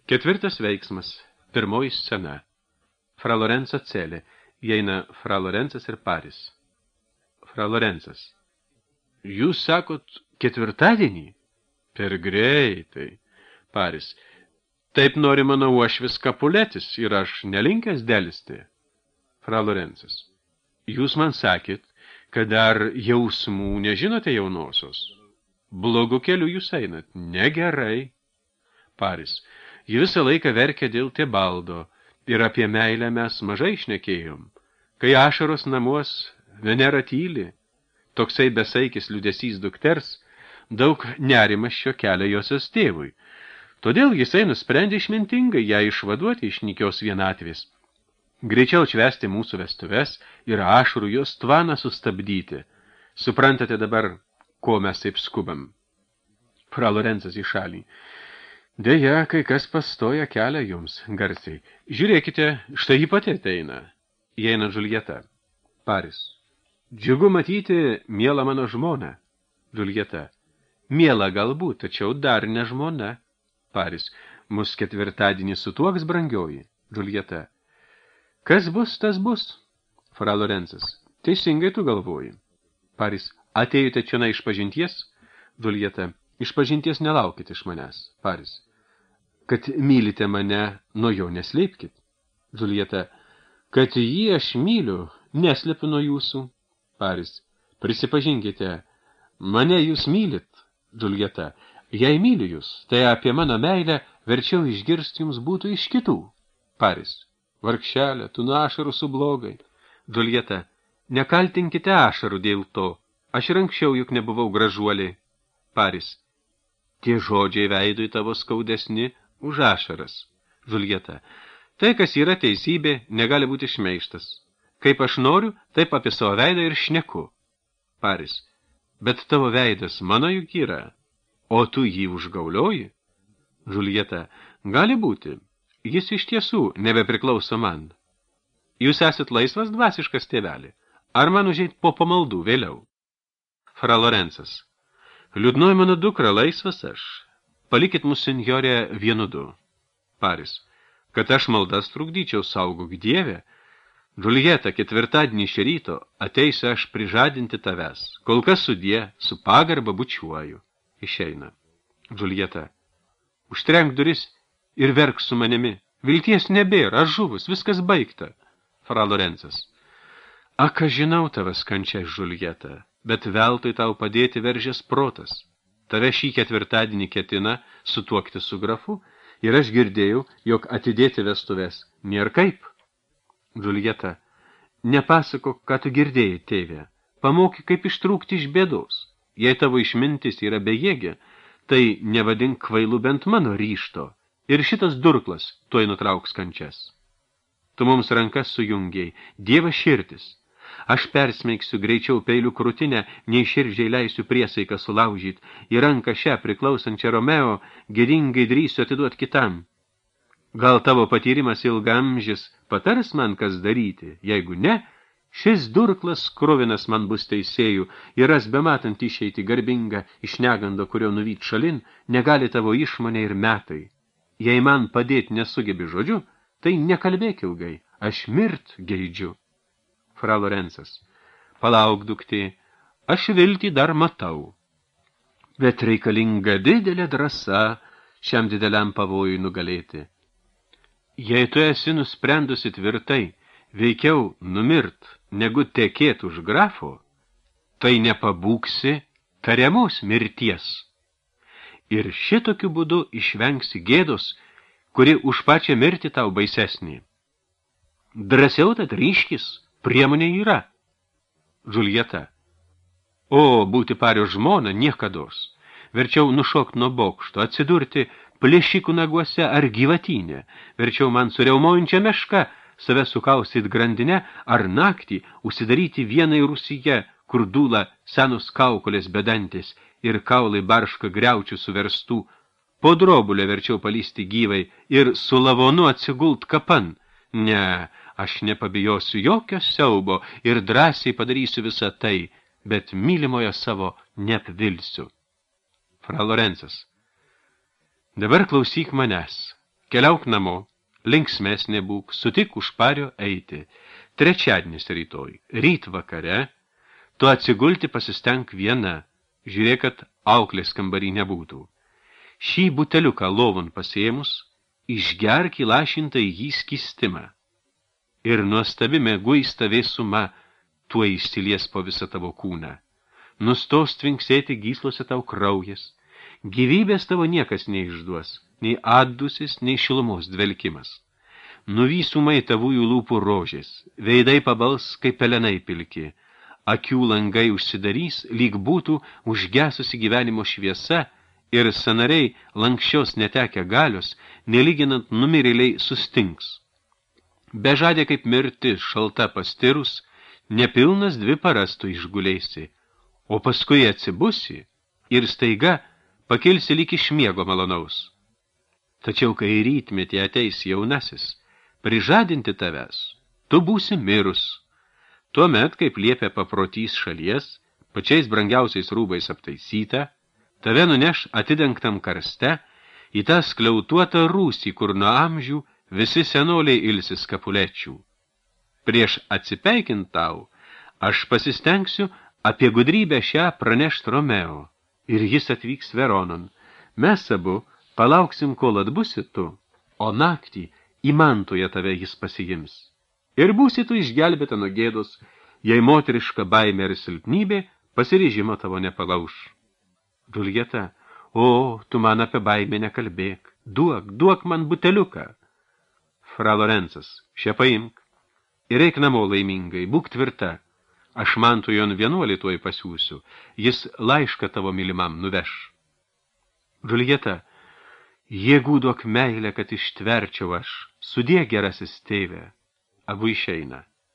Ketvirtas veiksmas. Pirmoji scena. Fra Lorenzo celė. Įeina Fra Lorenzas ir Paris. Fra Lorenzas. Jūs sakot ketvirtadienį? Per greitai. Paris. Taip nori mano uošvis Kapuletis ir aš nelinkęs dėlisti. Fra Lorenzas. Jūs man sakėt, kad dar jausmų nežinote jaunosios. Blogu keliu jūs einat. Negerai. Paris. Ji visą laiką verkia dėl Tebaldo ir apie meilę mes mažai šnekėjom. Kai ašaros namuos, Venera tyli, toksai besaikis liūdesys dukters, daug nerimas šio kelio josios tėvui. Todėl jisai nusprendė išmintingai ją išvaduoti iš nykios vienatvės. Greičiau švęsti mūsų vestuves ir ašarų jos tvaną sustabdyti. Suprantate dabar, ko mes taip skubam? Fra Lorenzas į šalį. Deja, kai kas pastoja kelią jums, garsiai. Žiūrėkite, štai ji pati ateina. Įeina Džuljeta. Paris. Džiugu matyti, miela mano žmona. Džuljeta. Miela galbūt, tačiau dar ne žmona. Paris. Mus ketvirtadienį sutuoks, brangioji. Džuljeta. Kas bus, tas bus. Fra Lorenzas. Teisingai tu galvoji. Paris. Atėjote čia iš pažinties? Džuljeta. Iš pažinties nelaukit iš manęs. Paris. Kad mylite mane, nuo jo neslėpkit. Džuljeta. Kad jį aš myliu, neslepiu nuo jūsų. Paris. Prisipažinkite, mane jūs mylit. Džuljeta. Jei myliu jūs, tai apie mano meilę verčiau išgirsti jums būtų iš kitų. Paris. Vargšelė, tu nuo ašarų sublogai. Džuljeta. Nekaltinkite ašarų dėl to. Aš ir anksčiau juk nebuvau gražuolė. Paris. Tie žodžiai veidui tavo skaudesni už ašaras. Džuljeta. Tai, kas yra teisybė, negali būti šmeižtas. Kaip aš noriu, taip apie savo veidą ir šneku. Paris. Bet tavo veidas mano juk yra, o tu jį užgaulioji? Džuljeta. Gali būti. Jis iš tiesų nebepriklauso man. Jūs esat laisvas dvasiškas tėvelį. Ar man užeit po pamaldų vėliau? Fra Lorenzas. Liūdnoji mano dukra, laisvas aš. Palikit mus, senjorė, vienu du. Paris. Kad aš maldas trukdyčiau, saugok Dieve. Džuljeta, ketvirtadienį iš ryto ateisiu aš prižadinti tavęs. Kol kas sudie, su pagarba bučiuoju. Išeina. Džuljeta. Užtrenk duris ir verk su manimi. Vilties nebėra, aš žuvus, viskas baigta. Fra Lorenzas. Ak, aš žinau tavas kančia, Džuljeta, bet veltui tau padėti veržės protas. Tave šį ketvirtadienį ketina sutuokti su grafu ir aš girdėjau, jog atidėti vestuves nėr kaip. Džuljeta. Nepasakok, ką tu girdėjai, tėve. Pamokyk, kaip ištrūkti iš bėdos. Jei tavo išmintis yra bejėgė, tai nevadink kvailu bent mano ryšto. Ir šitas durklas tuoj nutrauks kančias. Tu mums rankas sujungiai, Dievas širdis. Aš persmeigsiu greičiau peilių krūtinę, nei širdžiai leisiu priesaiką sulaužyt, į ranką šią priklausančią Romeo gėdingai drįsiu atiduot kitam. Gal tavo patyrimas ilgamžis patars man, kas daryti, jeigu ne, šis durklas kruvinas man bus teisėjų ir ras bematant išeiti garbingą iš negando, kurio nuvyt šalin, negali tavo išmonė ir metai. Jei man padėti nesugebi žodžiu, tai nekalbėk ilgai, aš mirt geidžiu. Fra Lorenzas. Palauk, duktė, aš viltį dar matau. Bet reikalinga didelė drąsa šiam dideliam pavojui nugalėti. Jei tu esi nusprendusi tvirtai, veikiau numirt, negu tekėt už grafo, tai nepabūksi tariamos mirties. Ir šitokiu būdu išvengsi gėdos, kuri už pačią mirtį tau baisesnė. Drąsiau tad ryškis, priemonė yra. Džuljeta. O, būti Pario žmona niekados. Verčiau nušokt nuo bokšto, atsidurti plėšikų naguose ar gyvatynė. Verčiau man su riaumojančia meška save sukaustyt grandinę ar naktį užsidaryti vienai rūsyje, kur dūla senos kaukolės bedantis ir kaulai barška griaučių suverstų. Po drobulę verčiau palysti gyvai ir su lavonu atsigult kapan. Ne, aš nepabijosiu jokio siaubo ir drąsiai padarysiu visą tai, bet mylimojo savo neapvilsiu. Fra Lorenzas. Dabar klausyk manęs. keliauk namo, linksmesnė būk, sutik už pario eiti. Trečiadienis rytoj, ryt vakare, tu atsigulti pasistenk viena, žiūrėk, kad auklės kambarį nebūtų. Šį buteliuką lovon pasėmus, išgerk įlašintą į jį skystimą. Ir nuostabi mėguista vėsuma tuo išsilies po visą tavo kūną. Nustos tvinksėti gyslose tau kraujas, gyvybės tavo niekas neišduos, nei atdusis, nei šilumos dvelkimas. Nuvysumai tavųjų lūpų rožės, veidai pabals kaip pelenai pilki, akių langai užsidarys, lyg būtų užgesusi gyvenimo šviesa, ir sanariai lankščios netekę galios, nelyginant numirėliai sustings. Bežadė kaip mirtis šalta pastirus, nepilnas 2 paras tu išguleisi, o paskui atsibusi ir staiga pakilsi lyg iš miego malonaus. Tačiau, kai rytmetį ateis jaunasis, prižadinti tavęs, tu būsi mirus. Tuomet, kaip liepia paprotys šalies, pačiais brangiausiais rūbais aptaisyta, tave nuneš atidengtam karste į tą skliautuotą rūsį, kur nuo amžių visi senoliai ilsis kapulečių. Prieš atsipeikint tau, aš pasistengsiu apie gudrybę šią pranešt Romeo, ir jis atvyks Veronon. Mes abu palauksim, kol atbusi tu, o naktį į Mantoje tave jis pasiims. Ir būsi tu išgelbėta nuo gėdos, jei moteriška baimė ir silpnybė pasiryžimo tavo nepalauš. Džiuljeta, o, tu man apie baimę nekalbėk, duok man buteliuką. Fra Lorenzas, šią paimk ir eik namo laimingai, būk tvirta. Aš Mantojon vienuolį tuoj pasiūsiu, jis laišką tavo mylimam nuveš. Džiuljeta, jėgų duok meilę, kad ištverčiau aš, sudie gerasis tėve. Abu išeina.